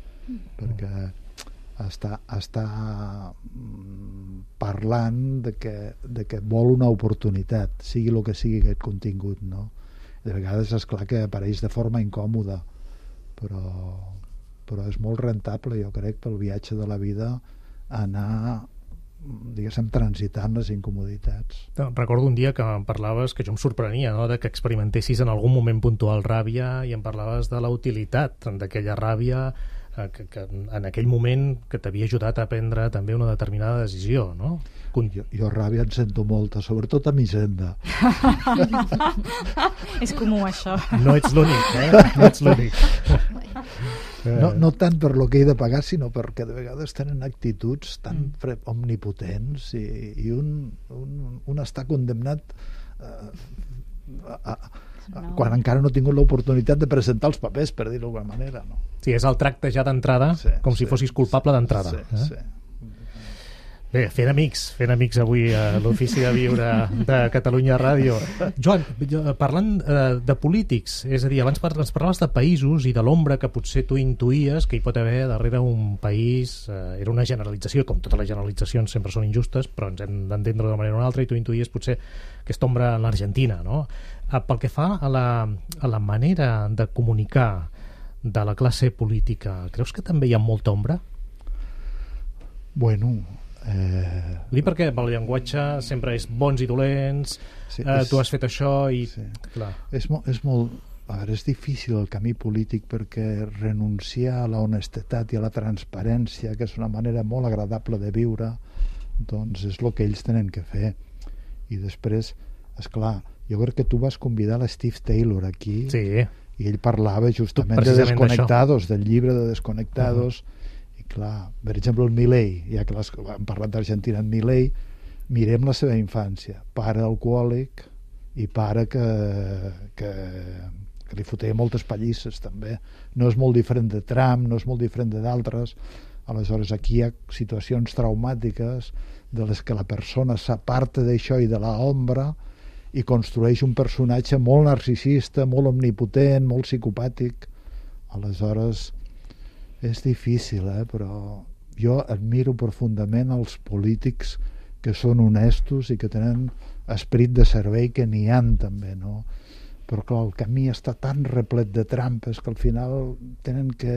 perquè està parlant de que vol una oportunitat, sigui el que sigui aquest contingut, no? De vegades és clar que apareix de forma incòmoda, però és molt rentable, jo crec, pel viatge de la vida, anar, diguéssim, transitant les incomoditats. Recordo un dia que em parlaves, que jo em sorprenia, no?, de que experimentessis en algun moment puntual ràbia, i em parlaves de la utilitat d'aquella ràbia, que en aquell moment que t'havia ajudat a prendre també una determinada decisió, no? Jo ràbia en sento molta, sobretot a Hisenda. És comú, això. No ets l'únic, No ets l'únic. No tant per lo que he de pagar, sinó perquè de vegades tenen actituds tan omnipotents, i un està condemnat quan encara no ha tingut l'oportunitat de presentar els papers, per dir-ho d'alguna manera, no? Sí, és el tracte ja d'entrada, com si fossis culpable d'entrada. Sí. Bé, fent amics avui a l'Ofici de Viure de Catalunya Ràdio. Joan, parlant de polítics, és a dir, abans ens parlaves de països i de l'ombra que potser tu intuïes que hi pot haver darrere un país. Era una generalització, com totes les generalitzacions sempre són injustes, però ens hem d'entendre d'una manera o una altra, i tu intuïes potser aquesta ombra en l'Argentina, no? Pel que fa a la manera de comunicar de la classe política, creus que també hi ha molta ombra? Bueno... Vull dir, perquè el llenguatge sempre és bons i dolents, tu has fet això i... Sí. Clar. És molt... A veure, és difícil el camí polític, perquè renunciar a la honestedat i a la transparència, que és una manera molt agradable de viure, doncs és el que ells tenen que fer. I després, esclar, jo crec que tu vas convidar l'Steve Taylor aquí, sí, i ell parlava justament de Desconectados, del llibre de Desconectados. I clar, per exemple, el Milei, ja que hem parlat d'Argentina, en Milei, mirem la seva infància, pare alcohòlic i pare que li fotia moltes pallisses també. No és molt diferent de Trump, no és molt diferent d'altres. Aleshores, aquí hi ha situacions traumàtiques de les que la persona s'aparta d'això i de l'ombra i construeix un personatge molt narcisista, molt omnipotent, molt psicopàtic. Aleshores, és difícil, però jo admiro profundament els polítics que són honestos i que tenen esperit de servei, que n'hi ha també, no? Però clar, el camí està tan replet de trampes que al final tenen que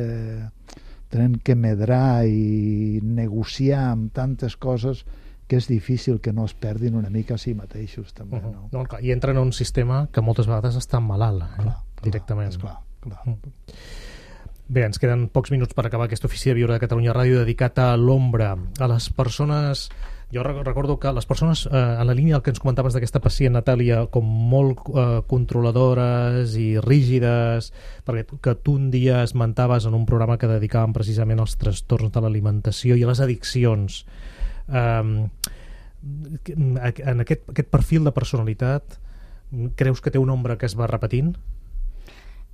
tenen que medrar i negociar amb tantes coses que és difícil que no es perdin una mica a si mateixos també, no? No, clar, i entren en un sistema que moltes vegades està malalt, directament. Clar. Bé, ens queden pocs minuts per acabar aquesta oficina de Viure de Catalunya Ràdio dedicat a l'ombra, a les persones. Jo recordo que les persones, en la línia del que ens comentaves d'aquesta pacient, Natàlia, com molt controladores i rígides, perquè que tu un dia esmentaves en un programa que dedicàvem precisament als trastorns de l'alimentació i a les addiccions. En aquest perfil de personalitat, creus que té una ombra que es va repetint?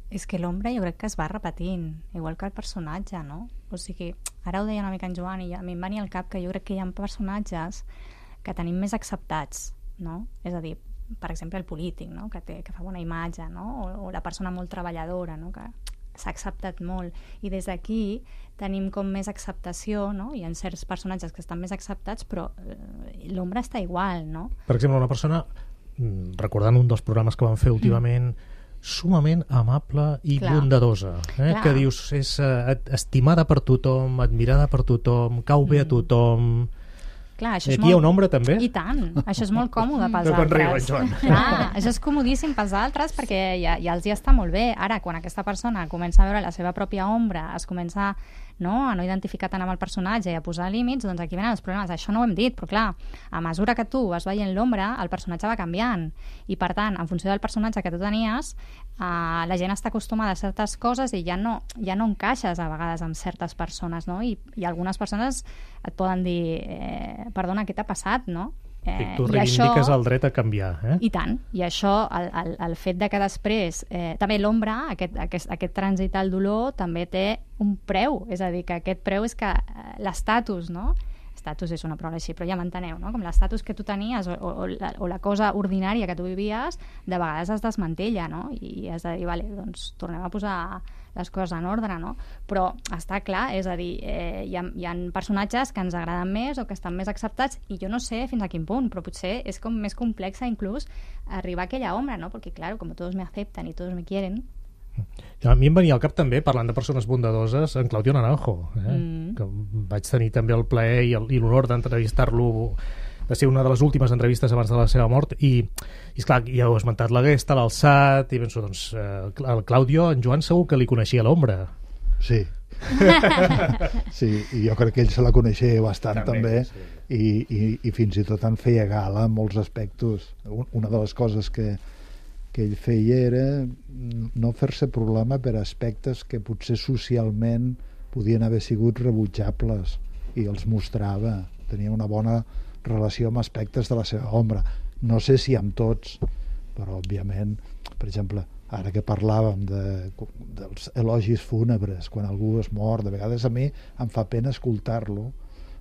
És que l'ombra jo crec que es va repetint, igual que el personatge, no? O sigui, ara ho deia una mica en Joan i a mi em venia al cap que jo crec que hi ha personatges que tenim més acceptats, no? És a dir, per exemple, el polític, no? Que fa bona imatge, no? O la persona molt treballadora, no? Que s'ha acceptat molt. I des d'aquí tenim com més acceptació, no? Hi ha certs personatges que estan més acceptats, però l'ombra està igual, no? Per exemple, una persona, recordant un dels programes que vam fer últimament, sumament amable i bondadosa, que dius és estimada per tothom, admirada per tothom, cau bé a tothom. Clar, això aquí hi ha una ombra també? I tant, això és molt còmode pels altres. Clar, això és comodíssim pels altres perquè ja els hi està molt bé. Ara, quan aquesta persona comença a veure la seva pròpia ombra, es comença a no identificar tant amb el personatge i a posar límits, doncs aquí venen els problemes. Això no ho hem dit, però clar, a mesura que tu vas veient l'ombra, el personatge va canviant. I per tant, en funció del personatge que tu tenies, la gent està acostumada a certes coses i ja no encaixes a vegades amb certes persones, no? I algunes persones et poden dir perdona, què t'ha passat, no? Tu reivindiques el dret a canviar, I tant, i això, el fet de que després també l'ombra, aquest trànsit al dolor també té un preu, és a dir, que aquest preu és que l'estatus, no? Estatus és una paraula així, però ja m'enteneu, no? Com l'estatus que tu tenies o la cosa ordinària que tu vivies, de vegades es desmantella, no? I has de dir, vale, doncs tornem a posar les coses en ordre, no? Però està clar, és a dir, hi ha personatges que ens agraden més o que estan més acceptats i jo no sé fins a quin punt, però potser és com més complexa inclús arribar a aquella ombra, no? Perquè, claro, com todos me aceptan y todos me quieren. A mi em venia al cap també, parlant de persones bondadoses, en Claudio Naranjo, que vaig tenir també el plaer i l'honor d'entrevistar-lo, de ser una de les últimes entrevistes abans de la seva mort, i esclar, ja heu esmentat la Gesta, l'Alçat, i penso, doncs, el Claudio, en Joan segur que li coneixia l'ombra. Sí. Sí, i jo crec que ell se la coneixia bastant també sí. I fins i tot en feia gala en molts aspectes. Una de les coses que ell feia era no fer-se problema per aspectes que potser socialment podien haver sigut rebutjables i els mostrava, tenia una bona relació amb aspectes de la seva ombra, no sé si amb tots, però òbviament, per exemple, ara que parlàvem dels elogis fúnebres quan algú es mor, de vegades a mi em fa pena escoltar-lo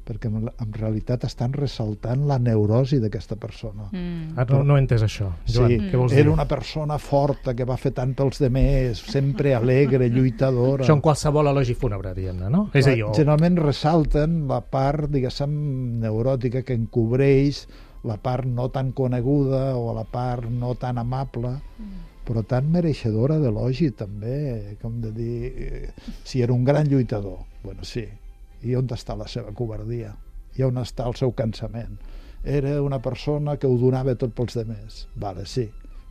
perquè en realitat estan ressaltant la neurosi d'aquesta persona. No he entès això, Joan. Sí, què vols dir? Era una persona forta que va fer tant pels demés, sempre alegre, lluitadora. Això en qualsevol elogi fúnebre, diguem-ne, no? És a dir, generalment ressalten la part, diguéssim, neuròtica que encobreix la part no tan coneguda o la part no tan amable, però tan mereixedora d'elogi també, com de dir, si era un gran lluitador, bueno, sí, i on està la seva covardia? I on està el seu cansament? Era una persona que ho donava tot pels demés. Vale, sí.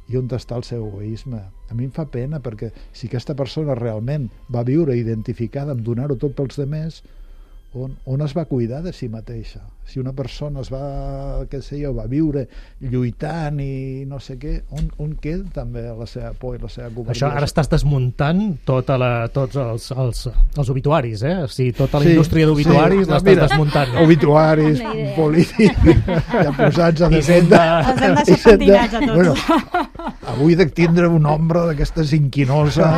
I on està el seu egoisme? A mi em fa pena perquè si aquesta persona realment va viure identificada amb donar-ho tot pels demés, on es va cuidar de si mateixa? Si una persona es va, què sé jo, va viure lluitant i no sé què, on queda també la seva por i la seva covardia? Això ara estàs desmuntant tots els obituaris, O sigui, tota la indústria d'obituaris l'estàs desmuntant. Obituaris, polítics, ja posats a defendre. Els hem deixat pentinats a tots. Bueno, avui de tindre una ombra d'aquestes inquinosa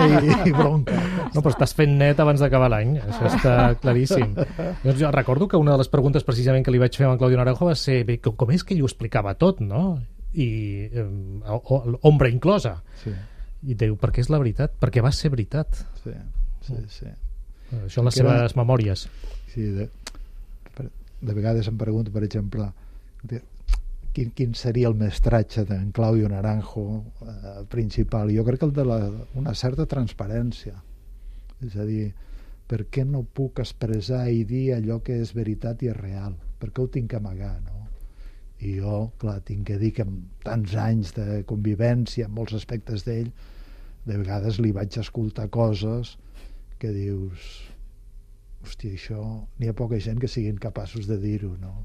i bronca. No, però estàs fent net abans d'acabar l'any, això està claríssim. Jo recordo que una de les preguntes precisament que li vaig fer a en Claudio Naranjo va ser com és que ell ho explicava tot, no? I ombra inclosa. Sí. I diu, perquè és la veritat, perquè va ser veritat. Sí. Això en les seves memòries. Sí, de vegades em pregunto, per exemple, quin seria el mestratge d'en Claudio Naranjo principal. Jo crec que el de una certa transparència. És a dir, per què no puc expressar i dir allò que és veritat i és real? Per què ho tinc que amagar, no? I jo, clar, tinc que dir que amb tants anys de convivència en molts aspectes d'ell, de vegades li vaig escoltar coses que dius, hòstia, això n'hi ha poca gent que siguin capaços de dir-ho, no?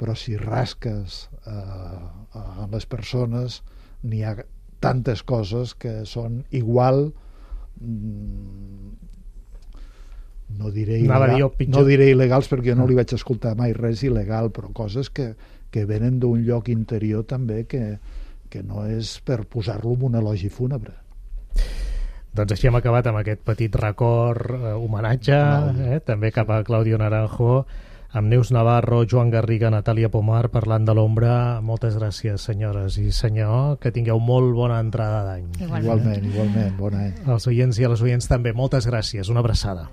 Però si rasques a les persones, n'hi ha tantes coses que són igual, no diré il·legals perquè jo no li vaig escoltar mai res il·legal, però coses que venen d'un lloc interior també que no és per posar-lo en un elogi fúnebre. Doncs així hem acabat amb aquest petit record, homenatge, també cap a Claudio Naranjo, amb Neus Navarro, Joan Garriga, Natàlia Pomar, parlant de l'ombra. Moltes gràcies, senyores i senyor, que tingueu molt bona entrada d'any. Igualment, bon any. Els oients i a les oients també, moltes gràcies, una abraçada.